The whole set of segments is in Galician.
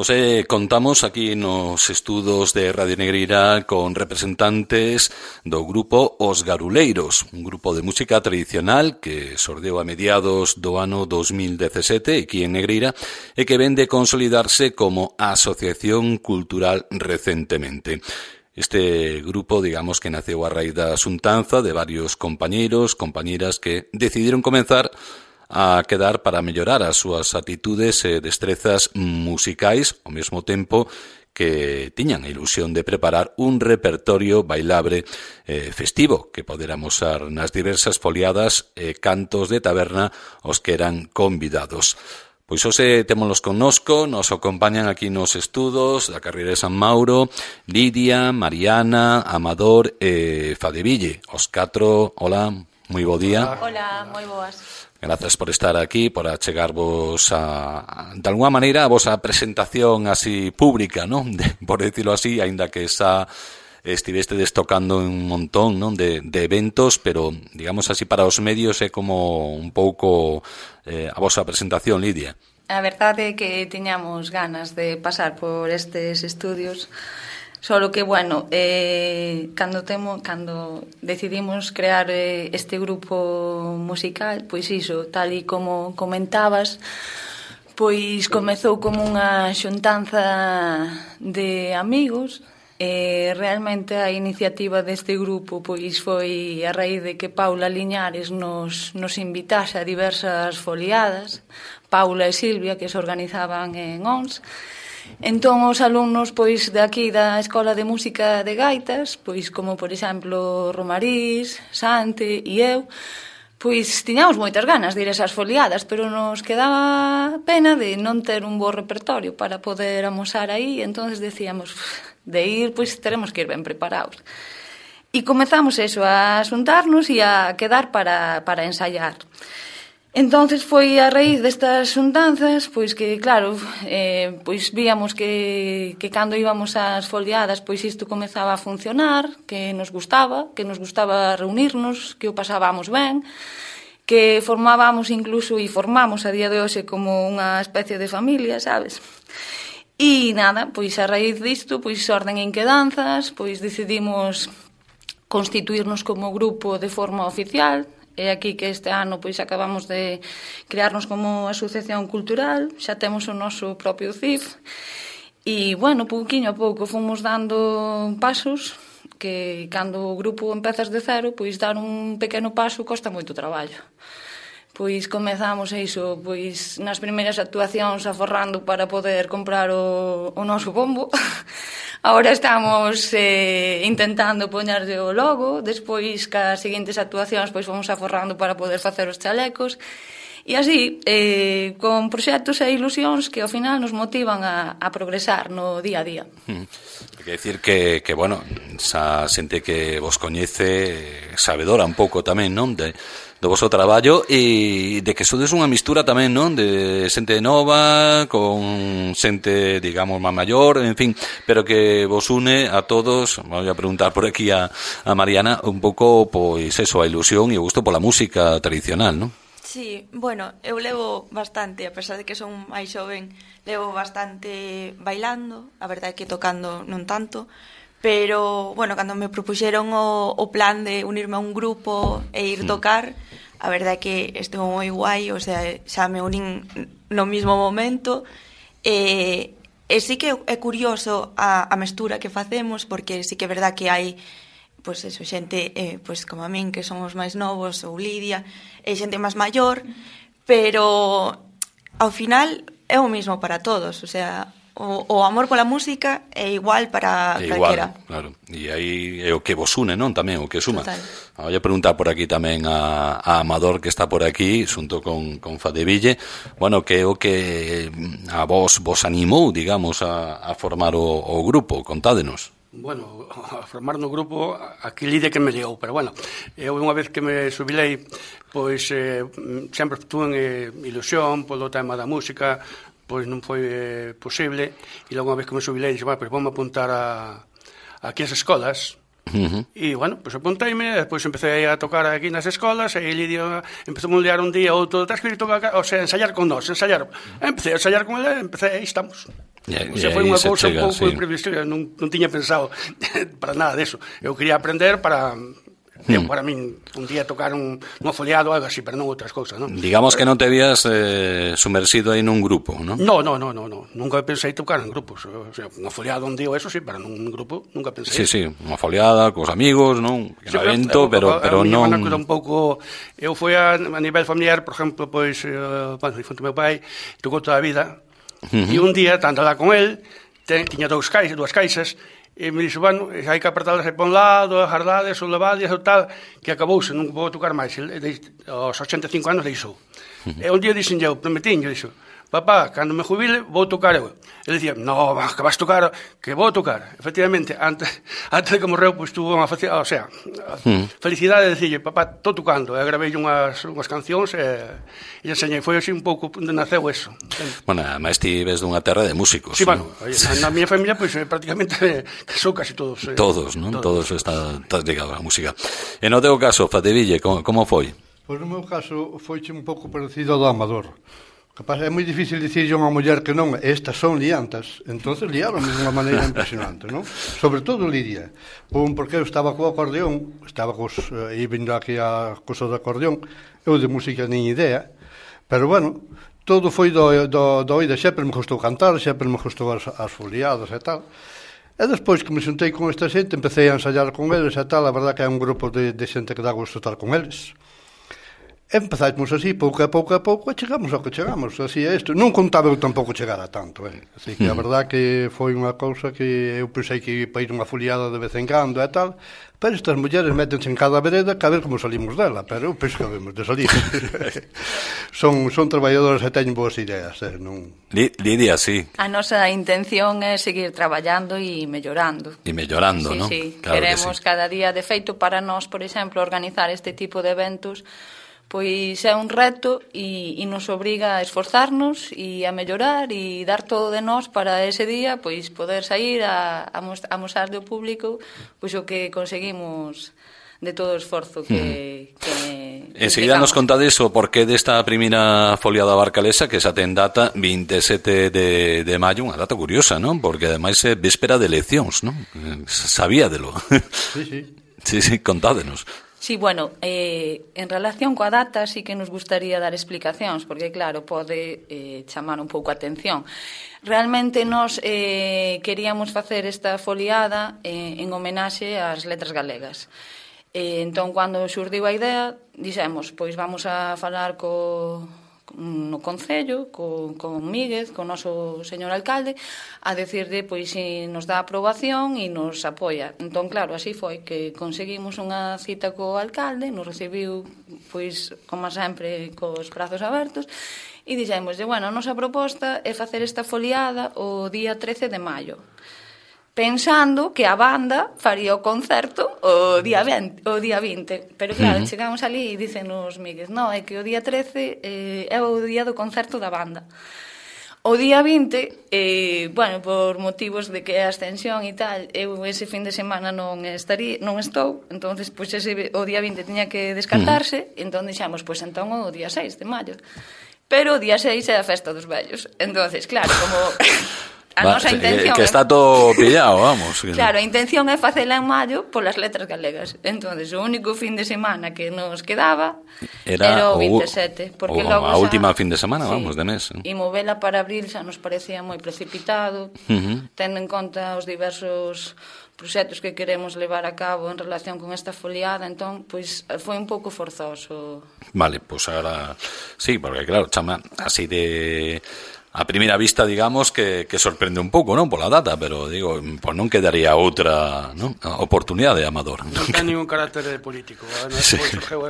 Hoxe contamos aquí nos estudos de Radio Negreira con representantes do grupo Os Garuleiros, un grupo de música tradicional que xordeu a mediados do ano 2017 aquí en Negreira e que vén de consolidarse como asociación cultural recentemente. Este grupo, digamos que naceu a raíz da xuntanza de varios compañeiros, compañeiras que decidiron comenzar a quedar para mellorar as súas actitudes e destrezas musicais ao mesmo tempo que tiñan a ilusión de preparar un repertorio bailable festivo que poder amosar nas diversas foliadas e cantos de taberna aos que eran convidados. Pois hoxe témolos connosco, nos acompañan aquí nos estudos da carreira de San Mauro, Lidia, Mariana, Amador e Fadeville. Os catro, hola, moi bo día. Hola, moi boas. Grazas por estar aquí, por achegarvos de alguna maneira a vosa presentación así pública, non? Por decirlo así, aínda que estivestedes tocando un montón, non? De eventos, pero digamos así para os medios é como un pouco a vosa presentación, Lidia. A verdade é que tiñamos ganas de pasar por estes estudios. Solo que, bueno, cando decidimos crear este grupo musical, pois iso, tal e como comentabas, pois comezou como unha xuntanza de amigos e realmente a iniciativa deste grupo pois foi a raíz de que Paula Liñares nos invitase a diversas foliadas, Paula e Silvia, que se organizaban en ONS. Entón, os alumnos pois de aquí da Escola de Música de Gaitas, pois como por exemplo Romarís, Sante e eu, pois tiñamos moitas ganas de ir a esas foliadas, pero nos quedaba pena de non ter un bo repertorio para poder amosar aí, entonces decíamos, de ir, pois teremos que ir ben preparados. E comezamos eso, a xuntarnos e a quedar para ensaiar. Entonces foi a raíz destas xuntanzas, pois que, claro, pois víamos que cando íbamos ás foliadas, pois isto comezaba a funcionar, que nos gustaba reunirnos, que o pasábamos ben, que formábamos incluso e formamos a día de hoxe como unha especie de familia, sabes? E nada, pois a raíz disto, pois orden en quedanzas, pois decidimos constituirnos como grupo de forma oficial. É aquí que este ano pois acabamos de crearnos como asociación cultural, xa temos o noso propio CIF e, bueno, pouquiño a pouco fomos dando pasos que cando o grupo empezas de cero, pois dar un pequeno paso costa moito traballo. Pois comezamos iso, pois nas primeiras actuacións aforrando para poder comprar o noso bombo. Ahora estamos intentando poñerlle o logo, despois cas seguintes actuacións pois vamos aforrando para poder facer os chalecos e así, con proxectos e ilusións que ao final nos motivan a progresar no día a día. Quer decir que bueno, esa xente que vos coñece sabedora un pouco tamén, non? Do vosso traballo e de que sodes unha mistura tamén, non? De xente nova con xente, digamos, máis maior, en fin, pero que vos une a todos. Vou a preguntar por aquí a Mariana un pouco, pois eso, a ilusión e o gusto pola música tradicional, non? Sí, bueno, eu levo bastante, a pesar de que son máis xoven, levo bastante bailando, a verdade é que tocando non tanto, pero, bueno, cando me propuxeron o plan de unirme a un grupo e ir tocar, a verdade é que estuvo moi guai, o sea, xa me unín no mismo momento, e sí que é curioso a mestura que facemos, porque sí que é verdade que hai pois eso, xente pois como a min que somos máis novos, ou Lidia, e xente máis maior, pero ao final é o mismo para todos, o sea, o amor pola música é igual para calquera. Claro, e aí é o que vos une, non? Tamén o que suma. Total. Vou a preguntar por aquí tamén a Amador, que está por aquí, xunto con Fadeville, bueno, que é o que a vos animou, digamos, a formar o grupo, contádenos. Bueno, a formar no grupo aquí Lidia que me liou, pero bueno, eu unha vez que me xubilei, pois sempre tuve ilusión polo tema da música, pois non foi posible, e logo unha vez que me xubilei, dixo, pois vamos apuntar aquí as escolas, e bueno, pois apunteime, depois empecé a tocar aquí nas escolas, e Lidia empezou a liar un día outro, tens que ir tocar, o sea, ensayar con nós, empecé a ensayar con ele, aí estamos. O sea, foi unha cousa un pouco imprevisible, non tiña pensado para nada deso. Eu quería aprender para min un día tocar unha foliado ou algo así, pero non outras cousas, non? Digamos que non te habías sumersido aí nun grupo, non? No, nunca pensei tocar en grupos. O sea, unha foliada un día ou eso sí, pero nun grupo nunca pensei. Sí, unha foliada cos amigos, non? Un evento, pero non... Un pouco, eu foi a nivel familiar, por exemplo, pois, bueno, difunto meu pai, tocou toda a vida, e un día, tanto lá con él, tiña dúas caixas, e me dixo, bueno, hai que apertalas aí para un lado, agardades, ou levades, ou tal, que acabouse, non vou tocar máis. Aos 85 anos deixou. E un día dixen eu, prometiño, dixo, papá, cando me jubile, vou tocar eu. Ele dicía, no, que vas tocar, que vou tocar. Efectivamente, antes de que morreu, pois tuvo unha felicidade de dicirlle, papá, estou tocando. E gravei unhas cancións e enseñei. Foi así un pouco onde naceu eso. Bueno, además ti ves dunha terra de músicos. Sí, bueno, na miña familia, pois prácticamente son casi todos. Todos, non? Todos están ligados á música. E no teu caso, Fateville, como foi? Pois no meu caso, foiche un pouco parecido ao do Amador. Capaz, é moi difícil dicirlle a unha muller que non, estas son liantas, entonces liaron de unha maneira impresionante, non? Sobre todo Lidia, porque eu estaba co acordeón, vindo aquí a cousa do acordeón, eu de música nin idea, pero bueno, todo foi do oído, sempre me gustou cantar, sempre me gustou as foliadas e tal, e despois que me xuntei con esta xente, empecé a ensayar con eles e tal, a verdad que é un grupo de xente que dá gusto estar con eles. Empezamos así, pouco a pouco, e chegamos ao que chegamos, así é isto. Non contaba eu tampouco chegar a tanto, así que a verdad que foi unha cousa que eu pensei que ia ir unha foliada de vez en cando e tal, pero estas mulleres métense en cada vereda que a ver como salimos dela, pero eu penso que habemos de salir. son traballadoras e teñen boas ideas, non... Lidia, sí. A nosa intención é seguir traballando e mellorando. E mellorando, non? Sí, claro, queremos cada día, de feito, para nós, por exemplo, organizar este tipo de eventos, pois é un reto e nos obriga a esforzarnos e a mellorar e dar todo de nós para ese día pois poder sair a mostrar ao público pois o que conseguimos de todo o esforzo que enseguida nos contades o porqué desta primeira foliada barcalesa que xa ten data 27 de maio, unha data curiosa, non? Porque ademais é véspera de eleccións, non? Sabíadelo. Sí, contádenos. Sí, bueno, en relación coa data sí que nos gustaría dar explicacións, porque claro, pode chamar un pouco a atención. Realmente nós queríamos facer esta foliada en homenaxe ás letras galegas. Entón, cando xurdiu a idea, dixemos, pois vamos a falar no Concello, con Míguez, con o noso señor alcalde, a decirle pois se nos dá aprobación e nos apoia. Entón, claro, así foi que conseguimos unha cita co alcalde, nos recibiu, pois, como sempre, cos brazos abertos, e dixémoslle, bueno, a nosa proposta é facer esta foliada o día 13 de maio, pensando que a banda faría o concerto o día 20. Pero claro, chegamos ali e dícenos Míguez, non, é que o día 13 é o día do concerto da banda. O día 20, bueno, por motivos de que é a ascensión e tal, eu ese fin de semana non estou, entonces pois o día 20 tiña que descartarse, entón dixemos, pois entón o día 6 de maio. Pero o día 6 é a festa dos vellos. Entonces, claro, como... A nosa intención que está todo pillado, vamos. Claro, a intención é facela en maio polas letras galegas. Entonces, o único fin de semana que nos quedaba era o 27, porque logo a última fin de semana, vamos, de mes. E movela para abril xa nos parecía moi precipitado, tendo en conta os diversos proxectos que queremos levar a cabo en relación con esta foliada, entón, pois, foi un pouco forzoso. Vale, pois agora, sí, porque claro, chama así de... A primeira vista, digamos, que sorprende un pouco, non, pola data, pero, digo, pois non quedaría outra, non, oportunidade, Amador. Non ten ningún carácter político. Sí,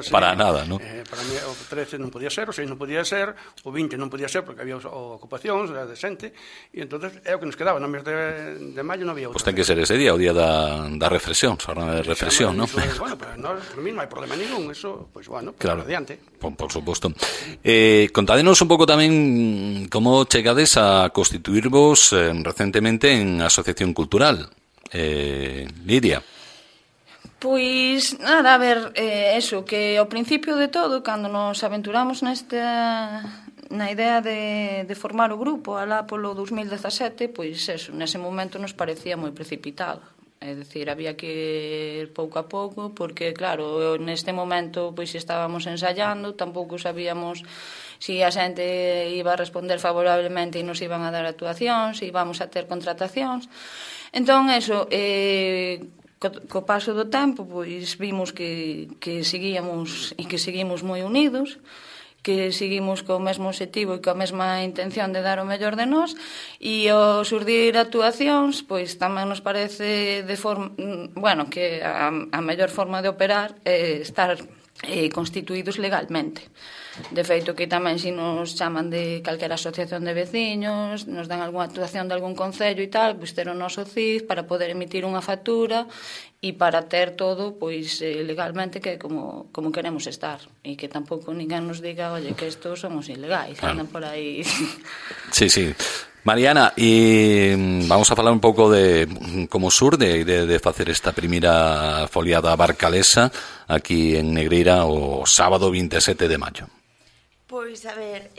para nada, non? Para mí, o 13 non podía ser, o 6 non podía ser, o 20 non podía ser, porque había ocupacións, era decente, e entonces é o que nos quedaba, no mes de maio non había outra. Pois ten que ser ese día, o día da reflexión, xornada de reflexión, non? Bueno, pero por mí non hai problema ningún, eso, pois, bueno, claro, adiante. Por suposto. Contádenos un pouco tamén como chegades a constituirvos recentemente en Asociación Cultural. Lidia. Pois, nada, a ver, eso, que ao principio de todo, cando nos aventuramos na idea de formar o grupo alá polo 2017, pois eso, nese momento nos parecía moi precipitado. É dicir, había que ir pouco a pouco, porque, claro, neste momento pois estábamos ensayando, tampouco sabíamos se a xente iba a responder favorablemente e nos iban a dar actuacións, se íbamos a ter contratacións. Entón, eso, co paso do tempo, pois vimos que seguíamos e que seguimos moi unidos, que seguimos co mesmo objetivo e coa mesma intención de dar o mellor de nós, e ao surdir actuacións, pois tamén nos parece que a mellor forma de operar é estar constituídos legalmente. De feito, que tamén se nos chaman de calquera asociación de veciños, nos dan algunha actuación de algún concello e tal, pois ter o noso CIF para poder emitir unha factura e para ter todo pois legalmente que como queremos estar, e que tampouco ninguén nos diga, oye, que estos somos ilegais, andan por aí. Sí. Mariana, e vamos a falar un pouco de como surde de facer esta primeira foliada barcalesa aquí en Negreira o sábado 27 de maio. Pois, a ver,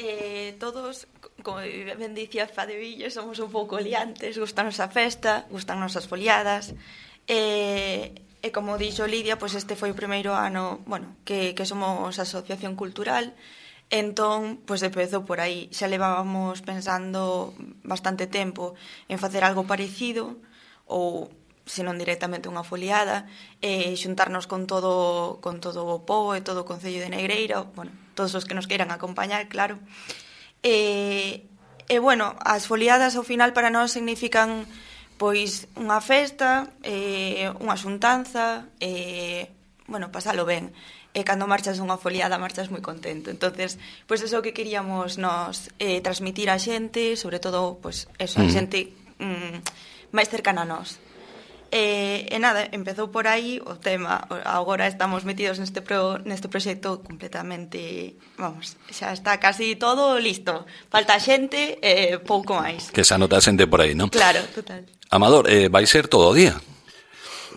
todos, como ben dicía Fadevillo, somos un pouco liantes, gustanos a festa, gustanos as foliadas, e como dixo Lidia, pois este foi o primeiro ano, que somos asociación cultural. Entón, pois empezou por aí. Xa levábamos pensando bastante tempo en facer algo parecido, ou, se non directamente unha foliada, xuntarnos con todo o pobo e todo o Concello de Negreira, todos os que nos queiran acompañar, claro. As foliadas ao final para nós significan pois unha festa, unha xuntanza, pasalo ben. E cando marchas unha foliada marchas moi contento. Entonces, pois eso que queríamos nos transmitir á xente, sobre todo, pois eso, a xente máis cercana a nós. E nada, empezou por aí o tema. Agora estamos metidos neste proxecto completamente, xa está casi todo listo. Falta xente e pouco máis. Que xa nota a xente por aí, non? Claro, total. Amador, vai ser todo o día?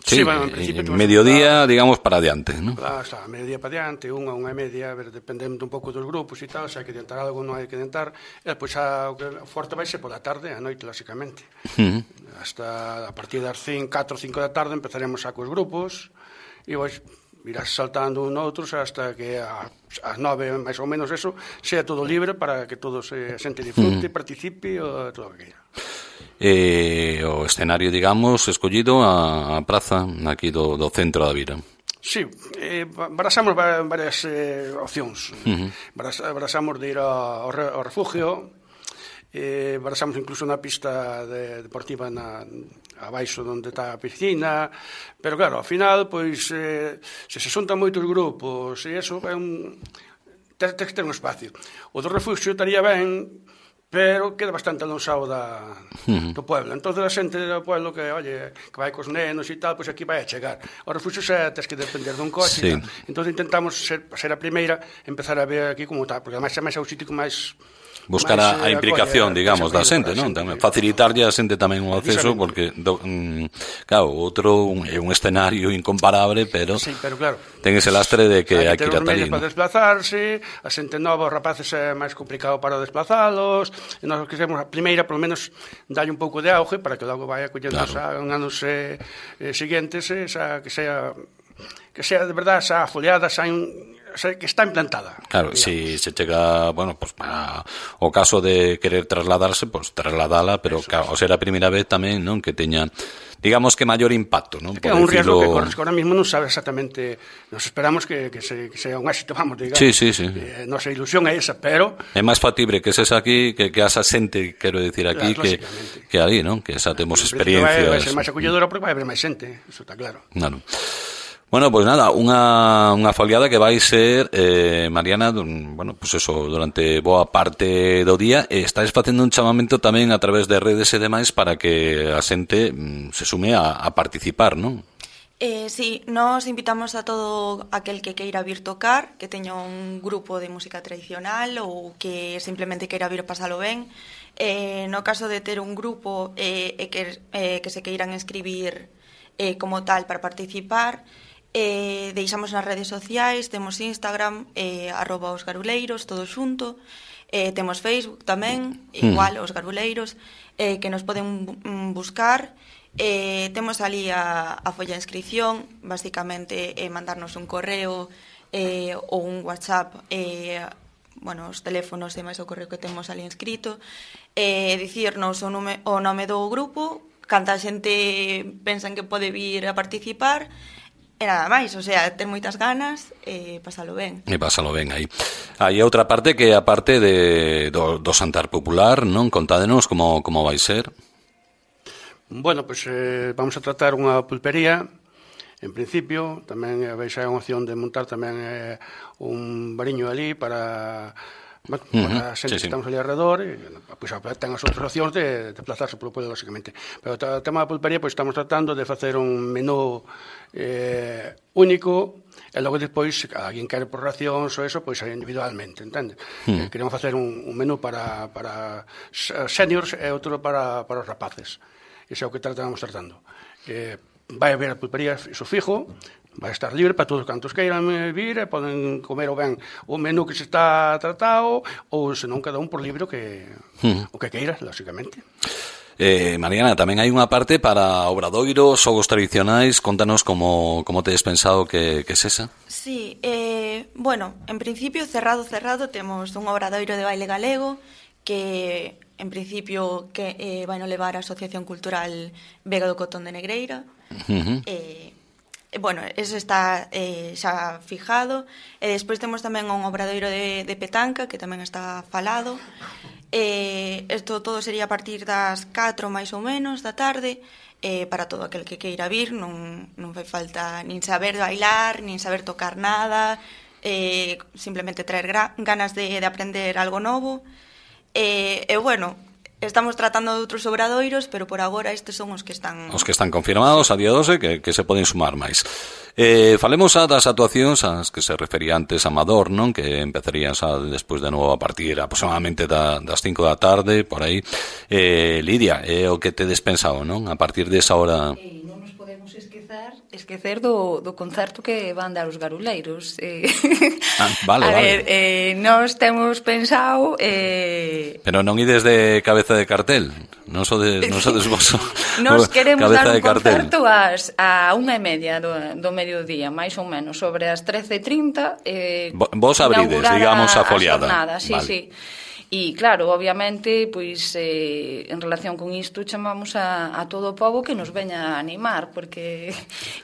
Sí, en principio, mediodía, digamos, para adiante, ¿no? Claro, está, mediodía para adiante, unha e media, dependendo un pouco dos grupos e tal, se hai que adiantar algo, non hai que adiantar, e pois o forte vai ser pola tarde, a noite, lógicamente. Hasta a partir das 4 ou 5 da tarde empezaremos a cos grupos, e pois irás saltando un outros hasta que ás 9, máis ou menos eso, sea todo libre para que todos a xente disfrute, participe, ou todo o que queira. O escenario, digamos, escollido a praza aquí do centro da vila. Sí, barasamos varias opcións. Barasamos de ir ao refugio, barasamos incluso na pista deportiva abaixo onde está a piscina, pero claro, ao final, pois, se xuntan moitos grupos e eso, tens que ter un espacio. O do refugio estaría ben, pero queda bastante alonsado do pueblo. Entón, a xente do pueblo que vai cos nenos e tal, pois aquí vai a chegar. O refugio xa tens que depender dun coche e tal. Entón, intentamos ser a primeira, empezar a ver aquí como está, porque ademais é o sitio que máis buscar a implicación, digamos, da xente, non? Facilitarlle a xente tamén o acceso, porque, claro, outro é un escenario incomparable, pero claro, ten ese lastre de que hai que ir ata ali. Hai que ter os medios para desplazarse, a xente nova, os rapaces é máis complicado para desplazalos, e nós queremos a primeira, polo menos, dalle un pouco de auge, para que logo vai acollendo en anos seguintes, que sea de verdade esa foliada, que está implantada. Claro, se chega, pues para o caso de querer trasladarse, pues trasladala, pero claro, ao ser a primeira vez tamén, non, que teña, digamos que maior impacto, non? É un riesgo que corres, que ahora mismo non sabe exactamente, nos esperamos que sea un éxito, vamos, digamos. Sí. Nosa ilusión é esa, pero é máis factible que sexa aquí, que esa xente, quero dicir aquí, que ali, non? Que xa temos experiencias. Vai ser máis acolledora porque vai haber máis xente, eso está claro. Claro. Bueno, pues nada, unha foliada que vai ser, Mariana, pues eso, durante boa parte do día, e estáis facendo un chamamento tamén a través de redes e demais para que a xente se sume a participar, non? Sí, nos invitamos a todo aquel que queira vir tocar, que teña un grupo de música tradicional ou que simplemente queira vir pasalo ben. No caso de ter un grupo e que se queiran inscribir como tal para participar, deixamos nas redes sociais, temos Instagram, @osgaruleiros, todo xunto, Temos Facebook tamén, igual, os Garuleiros, que nos poden buscar. Temos ali a folla de inscripción, basicamente mandarnos un correo ou un WhatsApp, os teléfonos e máis o correo que temos ali inscrito, dicirnos o nome do grupo, canta xente pensan que pode vir a participar, e nada máis, o sea, ter moitas ganas e pasalo ben. E pasalo ben aí. Hai outra parte que é a parte do Xantar Popular, non? Contádenos como vai ser. Bueno, pois vamos a tratar unha pulpería, en principio, tamén veis a opción de montar tamén un bariño ali para a xente que estamos ali alrededor, pois ten as outras opcións de desplazarse polo pueblo, lógicamente. Pero o tema da pulpería, pois estamos tratando de facer un menú único, e logo despois, se alguén quere por racións ou eso, pois individualmente, entende? Queremos facer un menú para seniors e outro para os rapaces. Iso é o que estamos tratando. Vai haber a pulpería, iso fijo, vai estar libre para todos cantos queiran vir e poden comer o ben o menú que se está tratado ou senón cada un por libre o que queira, lógicamente. Mariana, tamén hai unha parte para obradoiros, xogos tradicionais. Contanos como tedes pensado que é esa? Sí, en principio cerrado temos un obradoiro de baile galego que en principio que vai no levar a Asociación Cultural Vega do Cotón de Negreira. Ese está xa fijado, e despois temos tamén un obradoiro de petanca que tamén está falado. Isto todo sería a partir das 4 máis ou menos da tarde, para todo aquel que queira vir. Non fai falta nin saber bailar, nin saber tocar nada, simplemente traer ganas de aprender algo novo. Estamos tratando de outros obradoiros, pero por agora estes son os que están confirmados a día 12, que se poden sumar máis. Falemos das actuacións as que se refería antes a Amador, non? Que empezarían xa despois de novo a partir aproximadamente das 5 da tarde, por aí. Lidia, é o que tedes pensado, non? A partir desa hora... Non nos podemos esquecer do concerto que van dar os Garuleiros. Vale. Nós temos pensado... Pero non ides de cabeza de cartel? Non sodes vos? Nos queremos dar un concerto a 1:30 do mediodía, máis ou menos, sobre as 13:30. Vos abrides, digamos, a foliada. Sí. E claro, obviamente, pois en relación con isto chamamos a todo o pobo que nos veña a animar, porque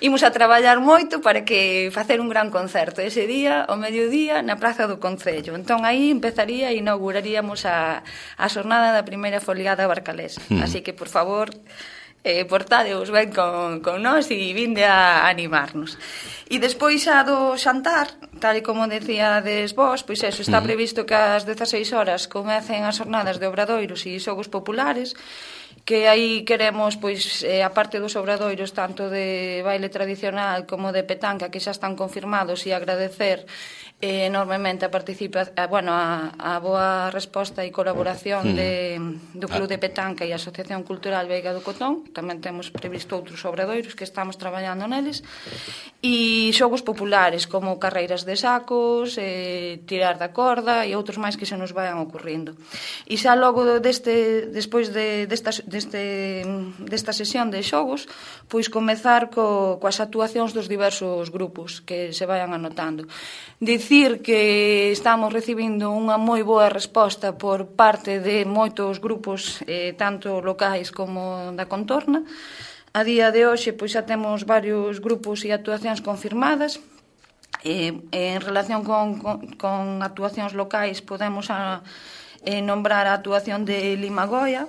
imos a traballar moito para que facer un gran concerto ese día, ao mediodía, na Praza do Concello. Entón aí empezaría e inauguraríamos a xornada da primeira foliada barcalesa. Así que, por favor, portadeos ben con nós e vinde a animarnos. E despois xa do xantar, tal e como decíades vos, pois eso, está previsto que ás 16 horas comecen as jornadas de obradoiros e xogos populares, que aí queremos, pois, a parte dos obradoiros tanto de baile tradicional como de petanca, que xa están confirmados, e agradecer enormemente a boa resposta e colaboración do Club de Petanca e a Asociación Cultural Veiga do Cotón. Tamén temos previsto outros obradoiros que estamos traballando neles, e xogos populares como carreiras de sacos, tirar da corda e outros máis que se nos vayan ocurrindo. E xa logo despois desta sesión de xogos, pois comezar coas actuacións dos diversos grupos que se vayan anotando. Dicir que estamos recibindo unha moi boa resposta por parte de moitos grupos, tanto locais como da contorna. A día de hoxe pois xa temos varios grupos e actuacións confirmadas. En relación con actuacións locais podemos nombrar a actuación de Limagoia,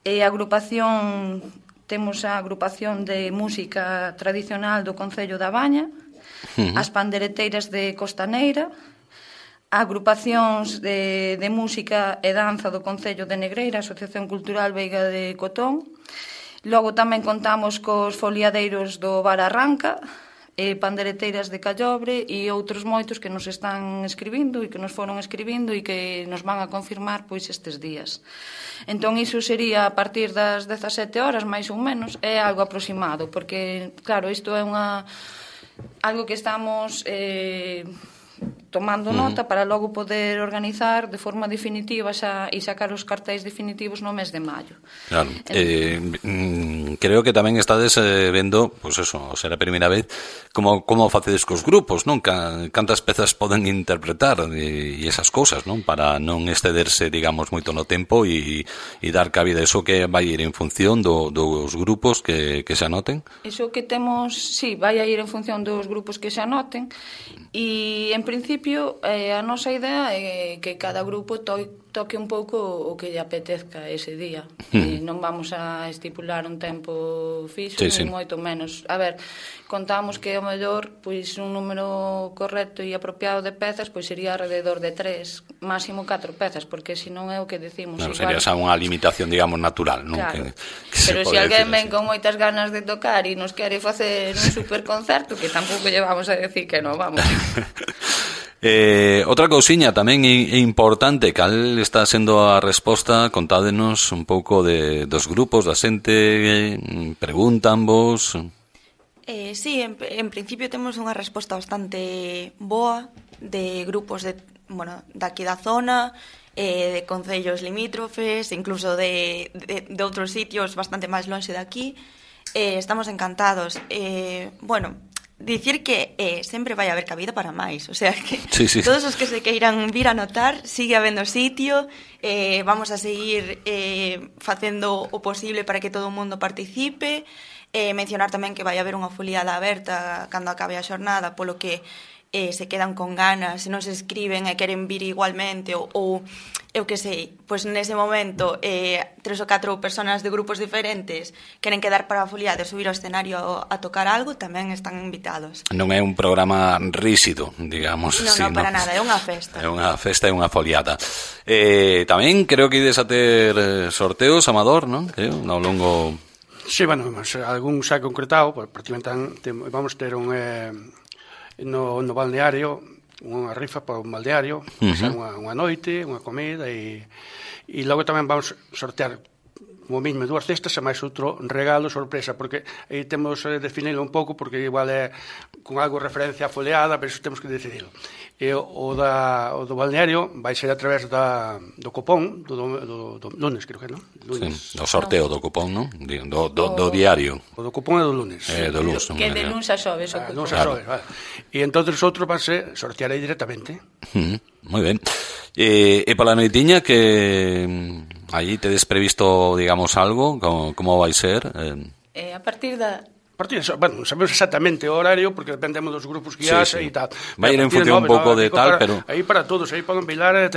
e a agrupación, temos a agrupación de música tradicional do Concello da Baña, as pandereteiras de Costaneira, agrupacións de música e danza do Concello de Negreira, Asociación Cultural Veiga de Cotón. Logo tamén contamos cos foliadeiros do Bar Arranca, pandereteiras de Callobre e outros moitos que nos están escribindo e que nos foron escribindo e que nos van a confirmar pois estes días. Entón iso sería a partir das 17 horas máis ou menos, é algo aproximado, porque claro, isto é algo que estamos tomando nota para logo poder organizar de forma definitiva e sacar os cartéis definitivos no mes de maio. Claro. Creo que tamén estades vendo, pois eso, será a primeira vez, como facedes cos grupos, non? Cantas pezas poden interpretar e esas cousas, non? Para non excederse, digamos, moito no tempo e dar cabida a eso que vai ir en función dos grupos que se anoten. Iso que temos, sí, vai a ir en función dos grupos que se anoten e, en principio, a nosa idea é que cada grupo toque un pouco o que lle apetezca ese día. Non vamos a estipular un tempo fixo, ni moito menos. A ver, contamos que o mellor, pois un número correcto e apropiado de pezas, pois sería alrededor de 3, máximo 4 pezas, porque senón é o que decimos. Non, sería xa unha limitación, digamos, natural, non? Claro. Pero se alguén ven con moitas ganas de tocar e nos quere facer un superconcerto, que tampouco lle vamos a decir que non, vamos. Outra cousiña tamén importante, cal está sendo a resposta, contádenos un pouco dos grupos, da xente, preguntan vos. Sí, en principio temos unha resposta bastante boa de grupos daqui da zona, de concellos limítrofes, incluso de outros sitios bastante máis lonxe de aquí. Estamos encantados. Dicir que sempre vai haber cabida para máis, o sea que todos os que se queiran vir a notar, sigue habendo sitio, vamos a seguir facendo o posible para que todo o mundo participe, mencionar tamén que vai haber unha foliada aberta cando acabe a xornada, polo que se quedan con ganas, se non se escriben e queren vir igualmente ou eu que sei, pois nese momento 3 ou 4 personas de grupos diferentes queren quedar para a foliada e subir ao escenario a tocar algo, tamén están invitados. Non é un programa rígido, digamos. Non, para nada, é unha festa. É unha festa e unha foliada. Tamén creo que ides a ter sorteos, Amador, non? Ao longo... Sí, bueno, algún xa concretado, prácticamente vamos ter un... no balneario, unha rifa para un balneario, unha noite, unha comida e logo tamén vamos sortear como mesmo 2 cestas e máis outro regalo sorpresa, porque aí temos definilo un pouco, porque igual é con algo referencia a foliada, pero iso temos que decidirlo. E o do balneario vai ser a través do cupón do lunes, creo que, non? Sí, o sorteo do cupón, non? Do diario. O do cupón é do lunes. Do lunes. Que de lunes a xoves o cupón. Lunes a xoves, vale. E entonces outro vai ser sortear aí directamente. Moi ben. E para a noitiña que aí tedes previsto, digamos, algo, como vai ser? A partir da... Bueno, sabemos exactamente o horario porque dependemos dos grupos que haxe e tal. Vai ir en función un pouco de tal, pero... Aí para todos, aí poden bailar,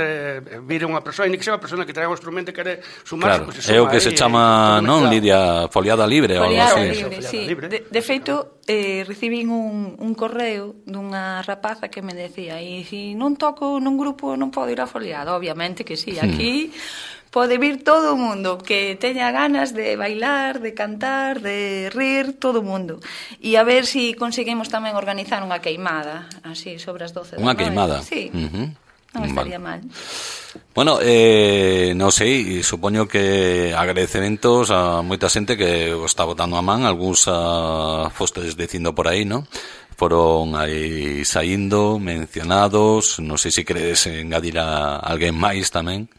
vir unha persoa, e ni que sea unha persona que traga o instrumento e quere sumarse, claro, é o que se chama, non, Lidia, foliada libre ou algo así. Foliada libre, sí. De feito, recibín un correo dunha rapaza que me decía, e se non toco nun grupo non podo ir a foliada, obviamente que sí, aquí... Pode vir todo o mundo que teña ganas de bailar, de cantar, de rir, todo o mundo. E a ver se conseguimos tamén organizar unha queimada, así, sobre as 12 da noite. Unha queimada? Sí, non estaría mal. Bueno, non sei, supoño que agradecementos a moita xente que o está botando a man, algúns fostedes dicindo por aí, non? Foron aí saindo, mencionados, non sei se queredes engadir a alguén máis tamén.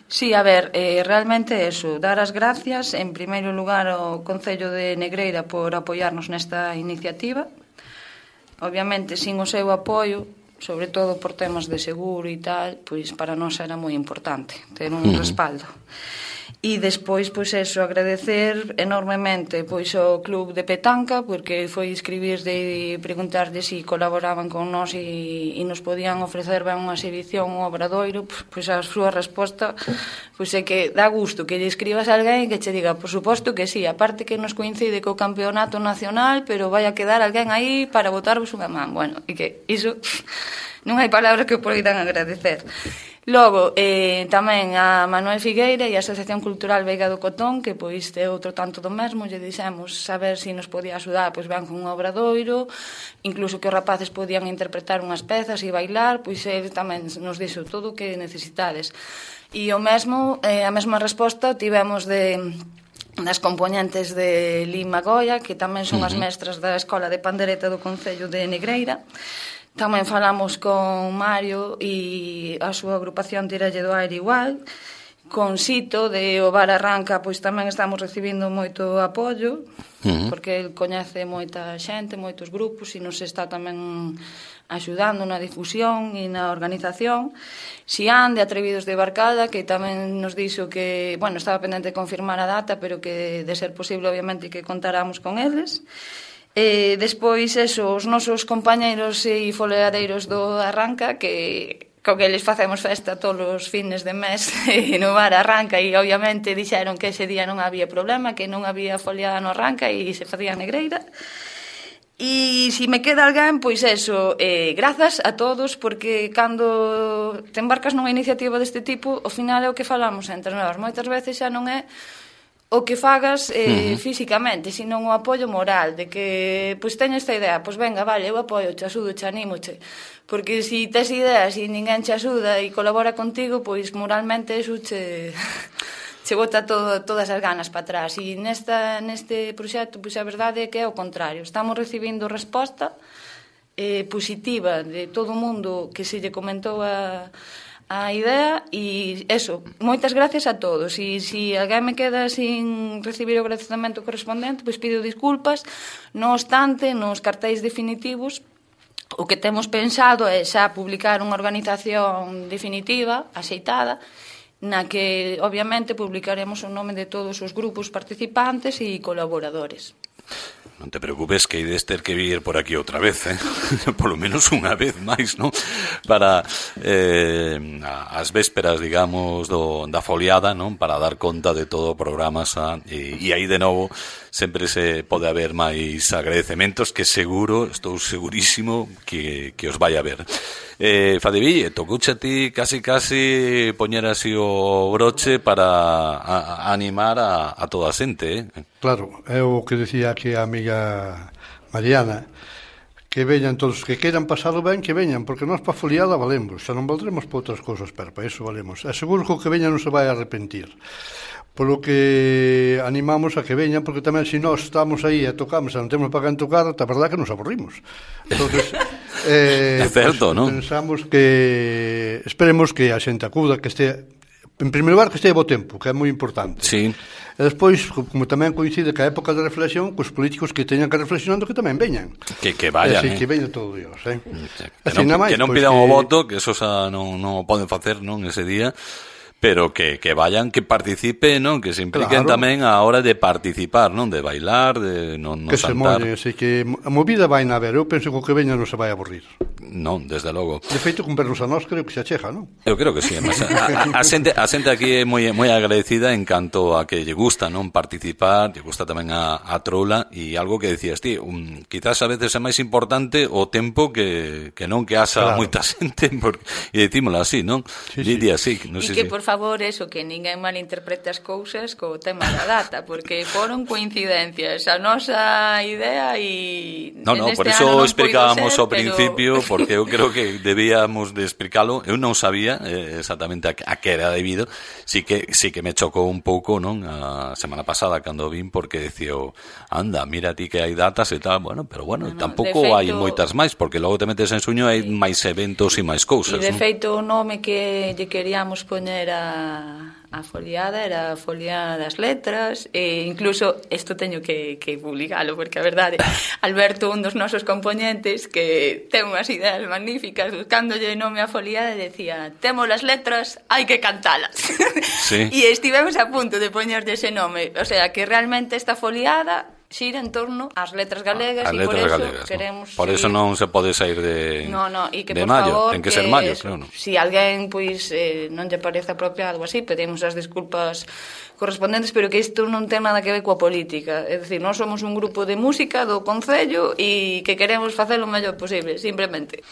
Sí, a ver, realmente eso, dar as gracias en primeiro lugar ao Concello de Negreira por apoiarnos nesta iniciativa. Obviamente, sin o seu apoio, sobre todo por temas de seguro e tal, pois para nós era moi importante ter un respaldo. E despois, pois eso, agradecer enormemente pois ao Club de Petanca, porque foi escribirde e preguntarlle se colaboraban con nós e nos podían ofrecer ben unha exhibición, un obradoiro. Pois a súa resposta pois é que dá gusto que lle escribas a alguén que che diga, por suposto que sí, aparte que nos coincide co campeonato nacional, pero vai a quedar alguén aí para botarvos unha man. Bueno, e que iso non hai palabras que o poidan agradecer. Logo, tamén a Manuel Figueira e a Asociación Cultural Veiga do Cotón, que pois é outro tanto do mesmo, lle dixemos saber se nos podía axudar, pois ben con un obradoiro, incluso que os rapaces podían interpretar unhas pezas e bailar, pois ele tamén nos dixo todo o que necesitades. E o mesmo, a mesma resposta tivemos das componentes de Lima Goya, que tamén son as mestras da Escola de Pandereta do Concello de Negreira, Tamén falamos con Mario e a súa agrupación Tiralle do Aire igual, con Sito de O Bar Arranca, pois tamén estamos recibindo moito apoio, porque el coñece moita xente, moitos grupos, e nos está tamén axudando na difusión e na organización. Xián de Atrevidos de Barcada, que tamén nos dixo que, bueno, estaba pendente de confirmar a data, pero que de ser posible, obviamente, que contáramos con eles. Despois, os nosos compañeiros e foleadeiros do Arranca, que co que eles facemos festa todos os fines de mes no Bar Arranca, e obviamente dixeron que ese día non había problema, que non había foliada no Arranca e se facía negreira. E se me queda alguén, pois grazas a todos, porque cando te embarcas nunha iniciativa deste tipo, ao final é o que falamos entre nós. Moitas veces xa non é o que fagas físicamente, sino o apoio moral, de que, pois, teño esta idea, pois venga, vale, eu apoio, te axudo, te animo, porque se tes ideas e ninguén te axuda e colabora contigo, pois moralmente eso che bota todas as ganas para atrás. E neste proxecto, pois a verdade é que é o contrario, estamos recibindo resposta positiva de todo o mundo que se lle comentou a idea, e moitas gracias a todos. E se alguén me queda sin recibir o agradecemento correspondente, pois pido disculpas. Non obstante, nos cartéis definitivos o que temos pensado é xa publicar unha organización definitiva, axeitada, na que obviamente publicaremos o nome de todos os grupos participantes e colaboradores. Non te preocupes, que ides ter que vir por aquí outra vez, por lo menos unha vez máis, non? Para as vésperas, digamos, da foliada, non? Para dar conta de todo o programa e aí de novo sempre se pode haber máis agradecementos que estou segurísimo que os vai haber. Fadeville, tocouche a ti casi poñer así o broche para animar a toda a xente, Claro, é o que decía aquí a amiga Mariana, que veñan todos, que queiran pasalo ben, que veñan, porque nós pa foliada valemos, xa non valdremos pa outras cousas, pero pa iso valemos. E seguro que o que veña non se vai arrepentir. Polo que animamos a que veñan, porque tamén se nós estamos aí e tocamos e non temos para quen tocar, a verdade que nos aburrimos. Entonces, é certo, pues, non? Pensamos que esperemos que a xente acuda, que este, en primeiro lugar, que este bo tempo, que é moi importante. Sí. E despois, como tamén coincide que a época de reflexión, os políticos que teñan que reflexionando que tamén veñan. Que vayan, que veña todo Dios, Que non pidan o voto, que eso xa non o poden facer, non, ese día, pero que vayan, que participen, non? Que se impliquen tamén a hora de participar, non? De bailar, de non que saltar. Que se mollen, así que a movida vai na ver. Eu penso que o que veña non se vai aburrir. Non, desde logo. De feito, con vernos a nós, creo que se achega, non? Eu creo que sí, además, a xente aquí é moi agradecida en canto a que lle gusta, non? Participar, lle gusta tamén a trola, e algo que decías ti, quizás a veces é máis importante o tempo que non que haxa moita xente, e dicímolo así, non? Lidia, sí. E que, por favor, que ninguén malinterprete as cousas co tema da data, porque foron coincidencias. A nosa idea e... Non, por iso explicábamos ao principio, porque eu creo que debíamos de explicalo. Eu non sabía exactamente a que era debido. Sí que me chocou un pouco, non? A semana pasada cando vin, porque decía, anda, mira ti que hai datas e tal, pero tampouco hai moitas máis, porque logo te metes en suño e hai máis eventos e máis cousas. E de feito o nome que lle queríamos poñer a foliada era a Folia das Letras, e incluso isto teño que publicalo, porque a verdade, Alberto, un dos nosos componentes, que ten unhas ideas magníficas, buscándolle nome a foliada, decía, temos as letras, hai que cantalas. Sí. E estivemos a punto de poñerlle ese nome, o sea, que realmente esta foliada xira en torno ás letras galegas, e por eso queremos... Por eso non se pode sair de que, de por maio, favor, ten que ser maio, claro. Si alguén non lle parece apropiado ou así, pedimos as disculpas correspondentes, pero que isto non ten nada que ver coa política. É dicir, nós somos un grupo de música do Concello e que queremos facer o mellor posible, simplemente.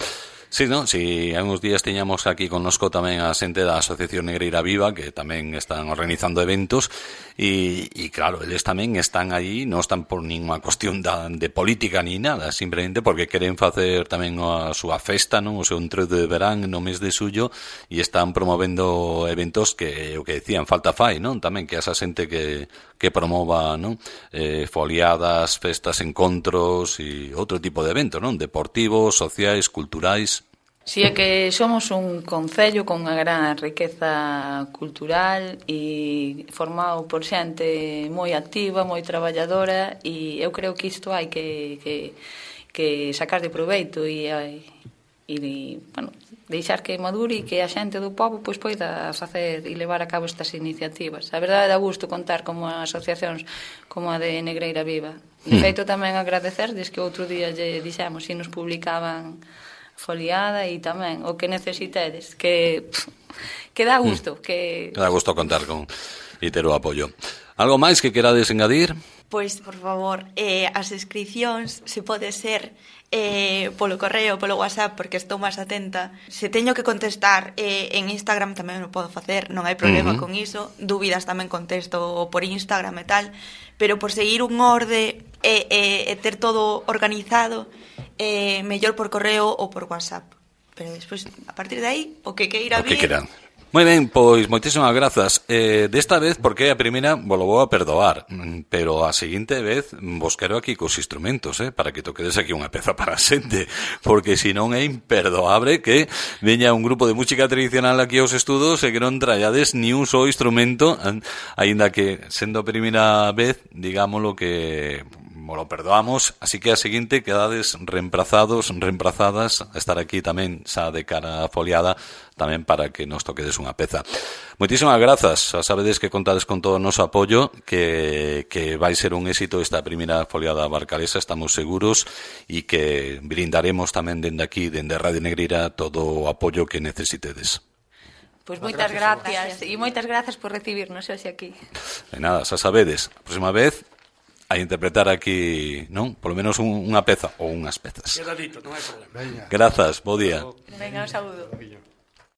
Sí, non? Si hai uns días teñamos aquí connosco tamén a xente da Asociación Negreira Viva, que tamén están organizando eventos, e claro, eles tamén están aí, non están por ninguna cuestión de política ni nada, simplemente porque queren facer tamén a súa festa, non? O seu entroido de verán no mes de xullo, e están promovendo eventos que o que decían, falta fai, non? Tamén que esa xente que que promova, non? Foliadas, festas, encontros e outro tipo de eventos, non? Deportivos, sociais, culturais. Si é que somos un concello con unha gran riqueza cultural e formado por xente moi activa, moi traballadora, e eu creo que isto hai que sacar de proveito e bueno, deixar que madure e que a xente do pobo pois poida facer e levar a cabo estas iniciativas. A verdade dá gusto contar como asociacións como a de Negreira Viva. De feito, tamén agradecerles que outro día lle dixemos se nos publicaban foliada e tamén o que necesitedes, que dá gusto, que dá gusto contar con e ter o apoio. Algo máis que querades engadir? Pois, por favor, as inscripcións se pode ser polo correo, polo WhatsApp, porque estou máis atenta. Se teño que contestar en Instagram tamén o podo facer, non hai problema con iso. Dúbidas tamén contesto por Instagram e tal, pero por seguir un orde e ter todo organizado, mellor por correo ou por WhatsApp. Pero despois, a partir de aí, o que queira vir... Moi ben, pois moitísimas grazas. Desta vez, porque a primeira vos lo vou a perdoar, pero a seguinte vez vos quero aquí cos instrumentos, para que toquedes aquí unha peza para a xente, porque senón é imperdoable que veña un grupo de música tradicional aquí aos estudos e que non trallades ni un só instrumento, aínda que sendo a primeira vez, digámoslo que... lo perdoamos, así que a seguinte quedades reemplazadas a estar aquí tamén xa de cara a foliada, tamén para que nos toquedes unha peza. Moitísimas grazas, xa sabedes que contades con todo o noso apoio, que vai ser un éxito esta primeira foliada barcalesa, estamos seguros, e que brindaremos tamén dende aquí, dende Radio Negreira, todo o apoio que necesitedes. Pois moitas gracias, e moitas grazas por recibirnos hoxe aquí. De nada, xa sabedes, a próxima vez a interpretar aquí, non? Polo menos unha peza ou unhas pezas. Queda dito, non hai problema. Grazas, bo día. Venga, un saúdo.